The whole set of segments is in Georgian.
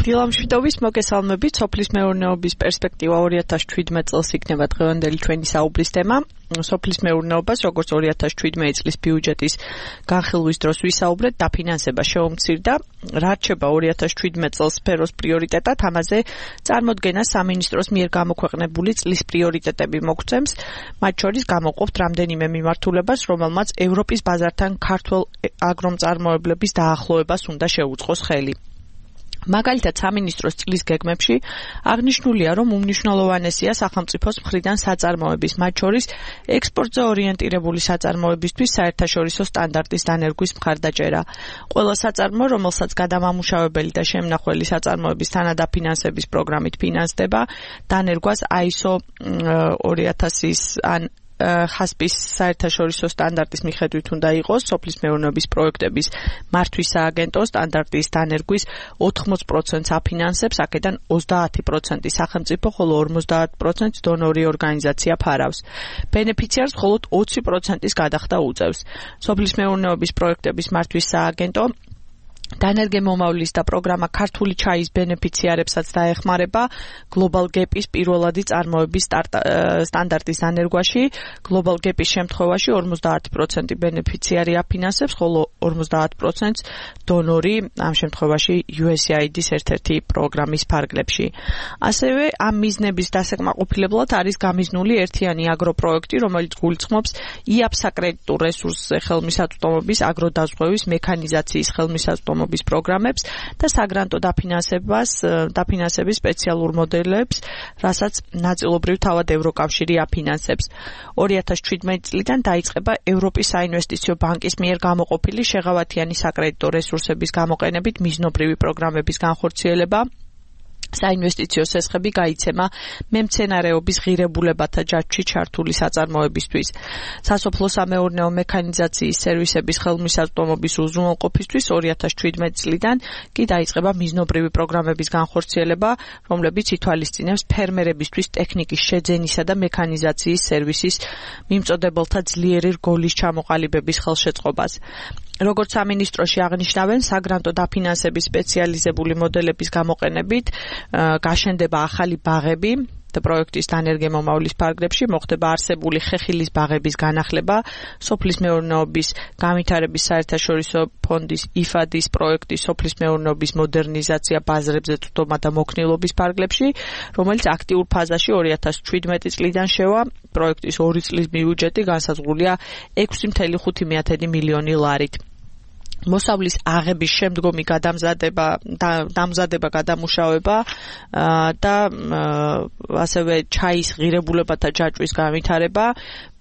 დილამშვიდობის მოგესალმებით. სოფლის მეურნეობის პერსპექტივა 2017 წელს იქნება დღევანდელი ჩვენი საუბრის თემა. სოფლის მეურნეობას, როგორც 2017 წლის ბიუჯეტის განხილვის დროს ვისაუბრეთ, დაფინანსება შეუმცირდა. რა რჩება 2017 წელს სფეროს პრიორიტეტად, ამაზე წარმოდგენა სამინისტროს მიერ გამოქვეყნებული წლის პრიორიტეტები მოგცემს. მათ შორის გამოვყოფთ რამდენიმე მიმართულებას, რომელმაც ევროპის ბაზართან ქართულ აგრომწარმოებლების დაახლოებას უნდა შეუწყოს ხელი. მაგალითად, სამინისტროს წლის გეგმებში აღნიშნულია, რომ უმნიშვნელოვანესია სახელმწიფოს მხრიდან საწარმოების, მათ შორის ექსპორტზე ორიენტირებული საწარმოებისთვის საერთაშორისო სტანდარტის დანერგვის მხარდაჭერა. ყველა საწარმო, რომელსაც გადამამუშავებელი და შემნახველი საწარმოების თანადაფინანსების პროგრამით ფინანსდება, დანერგვას ISO 2000-ის ან ხასპის საერთაშორისო სტანდარტის მიხედვით უნდა იყოს სოფლის მეურნეობის პროექტების მართვის სააგენტო სტანდარტის დანერგვის 80%-ს აფინანსებს, აქედან 30% სახელმწიფო, ხოლო 50% დონორი ორგანიზაცია ფარავს. ბენეფიციარს მხოლოდ 20%-ის გადახდა უწევს. სოფლის მეურნეობის პროექტების მართვის სააგენტო დანერგემომავლის და პროგრამა ქართული ჩაის ბენეფიციარებსაც დაეხმარება Global Gap-ის პირველადი წარმოების სტანდარტის დანერგვაში. Global Gap-ის შემთხვევაში 50% ბენეფიციარი აფინანსებს, ხოლო 50%-ს დონორი, ამ შემთხვევაში USAID-ის ერთ-ერთი პროგრამის ფარგლებში. ასევე ამ მიზნების დასაკმაყოფილებლად არის გამიზნული ერთიანი აგროპროექტი, რომელიც გულისხმობს IAP საკრედიტო რესურსზე ხელმისაწვდომობის, აგროდაზღვევის, მექანიზაციის ხელმისაწვდომობის პროგრამებს და საგრანტო დაფინანსების სპეციალურ მოდელებს, რასაც ნაწილობრივ თავად ევროკავშირი აფინანსებს. 2017 წლიდან დაიწყება ევროპის საინვესტიციო ბანკის მიერ გამოყოფილი შეღავათიანი საკრედიტო რესურსების გამოყენებით მიზნობრივი პროგრამების განხორციელება. საინვესტიციო სესხები გაიცემა მემცენარეობის ღირებულებათა ჯაჭვში ჩართული საწარმოებისთვის. სასოფლო-სამეურნეო მექანიზაციის სერვისების ხელმისაწვდომობის უზრუნველყოფისთვის 2017 წლიდან კი დაიწყება მიზნობრივი პროგრამების განხორციელება, რომლებიც ითვალისწინებს ფერმერებისთვის ტექნიკის შეძენისა და მექანიზაციის სერვისის მიმწოდებელთა ძლიერი რგოლის ჩამოყალიბების ხელშეწყობას. როგორც სამინისტროში აღნიშნავენ, საგრანტო დაფინანსების სპეციალიზებული მოდელების გამოყენებით გაშენდება ახალი ბაღები და პროექტის დანერგემომავლის ფარგლებში მოხდება არსებული ხეხილის ბაღების განახლება, სოფლის მეურნეობის განვითარების საერთაშორისო ფონდის IFAD-ის პროექტის სოფლის მეურნეობის მოდერნიზაცია ბაზრებზე წვდომა და მოქნილობის ფარგლებში, რომელიც აქტიურ ფაზაში 2017 წლიდან შევა. პროექტის 2 წლის ბიუჯეტი განსაზღვრულია 6.5 მილიონი ლარით. მოსავლის აღების შემდგომი დამზადება, გადამუშავება და ასევე ჩაის ღირებულებათა ჯაჭვის განვითარება,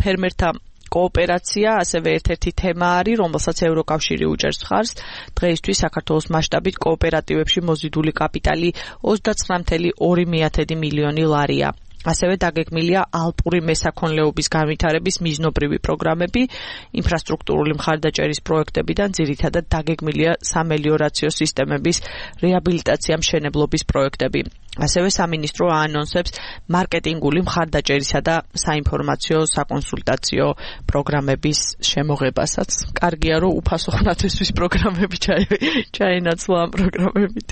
ფერმერთა კოოპერაცია ასევე ერთ-ერთი თემა არის, რომელსაც ევროკავშირი უჭერს მხარს. დღეისთვის საქართველოს მასშტაბით კოოპერატივებში მოზიდული კაპიტალი 29.2 მილიონი ლარია. ასევე დაგეგმილია ალპური მესაქონლეობის განვითარების მიზნობრივი პროგრამები, ინფრასტრუქტურული მხარდაჭერის პროექტებიდან ძირითადად დაგეგმილია სამელიორაციო სისტემების რეაბილიტაცია მშენებლობის პროექტები. ასევე სამინისტრო აანონსებს მარკეტინგული მხარდაჭერისა და საინფორმაციო საკონსულტაციო პროგრამების შემოღებასაც. კარგია, რომ უფასო ხნათესვის პროგრამები ჩაენაცვლა ამ პროგრამებით.